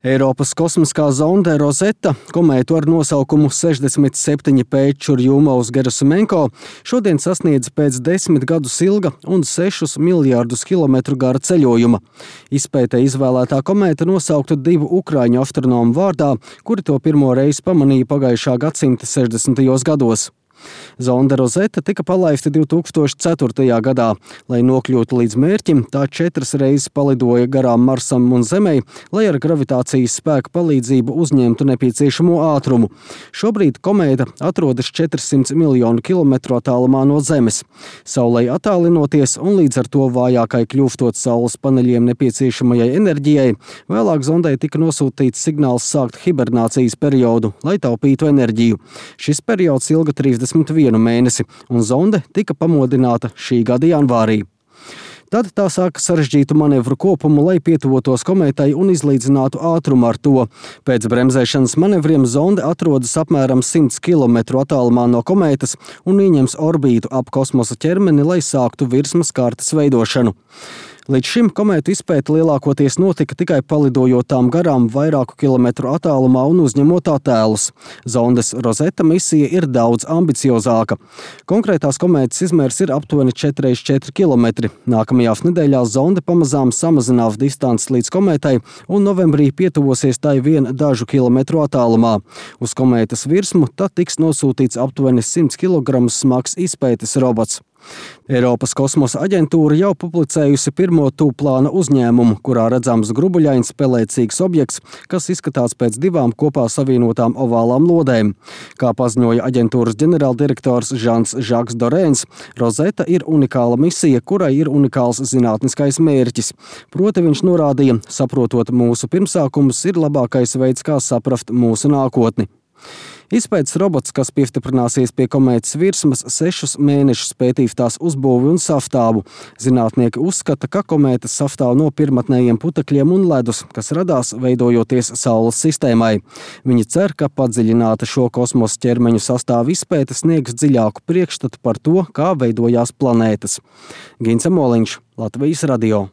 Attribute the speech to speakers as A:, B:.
A: Eiropas kosmiskā zonde Rosetta, komētu ar nosaukumu 67P Čurjūmovs-Gerasimenko, šodien sasniedz pēc 10 gadus ilga un 6 miljārdus kilometru gara ceļojuma. Izpētē izvēlētā komēta nosaukta 2 ukraiņu astronomu vārdā, kuri to pirmo reizi pamanīja pagājušā gadsimta 60. gados. Zonde Rosetta tika palaista 2004. gadā. Lai nokļūtu līdz mērķim, tā 4 reizes palidoja garām Marsam un Zemei, lai ar gravitācijas spēka palīdzību uzņemtu nepieciešamo ātrumu. Šobrīd komēta atrodas 400 miljonu kilometru attālumā no Zemes. Saulei attālinoties un līdz ar to vājākai kļūstot saules paneļiem nepieciešamajai enerģijai, vēlāk zondei tika nosūtīts signāls sākt hibernācijas periodu, lai taupītu enerģiju. Šis periods ilga 31 mēnesi, un zonde tika pamodināta šī gada janvārī. Tad tā sāka sarežģītu manevru kopumu, lai pietuvotos komētai un izlīdzinātu ātrumu ar to. Pēc bremzēšanas manevriem zonde atrodas apmēram 100 km attālumā no komētas un ieņems orbītu ap kosmosa ķermeni, lai sāktu virsmas kārtas veidošanu. Līdz šim komētu izpēte lielākoties notika tikai palidojot tām garām vairāku kilometru attālumā un uzņemot attēlus. Zondes Rosetta misija ir daudz ambiciozāka. Konkrētās komētas izmērs ir aptuveni 4x4 km. Nākamajās nedēļās zonde pamazām samazinās distanci līdz komētai un novembrī pietuvosies tai vien dažu kilometru attālumā. Uz komētas virsmu tad tiks nosūtīts aptuveni 100 kg smags izpētes robots. Eiropas kosmosa aģentūra jau publicējusi pirmo tūplāna uzņēmumu, kurā redzams grubuļains pelēcīgs objekts, kas izskatās pēc 2 kopā savienotām ovālām lodēm. Kā paziņoja aģentūras ģenerāldirektors Žans-Žaks Dorēns, Rosetta ir unikāla misija, kurai ir unikāls zinātniskais mērķis. Proti viņš norādīja, saprotot mūsu pirmsākumus, ir labākais veids, kā saprast mūsu nākotni. Izpētes robots, kas piestiprināsies pie komētas virsmas, 6 mēnešus pētīs tās uzbūvi un sastāvu. Zinātnieki uzskata, ka komētas sastāv no pirmatnējiem putekļiem un ledus, kas radās veidojoties Saules sistēmai. Viņi cer, ka padziļināta šo kosmosa ķermeņu sastāvu izpēte sniegs dziļāku priekšstatu par to, kā veidojās planētas. Gince Moliņš, Latvijas radio.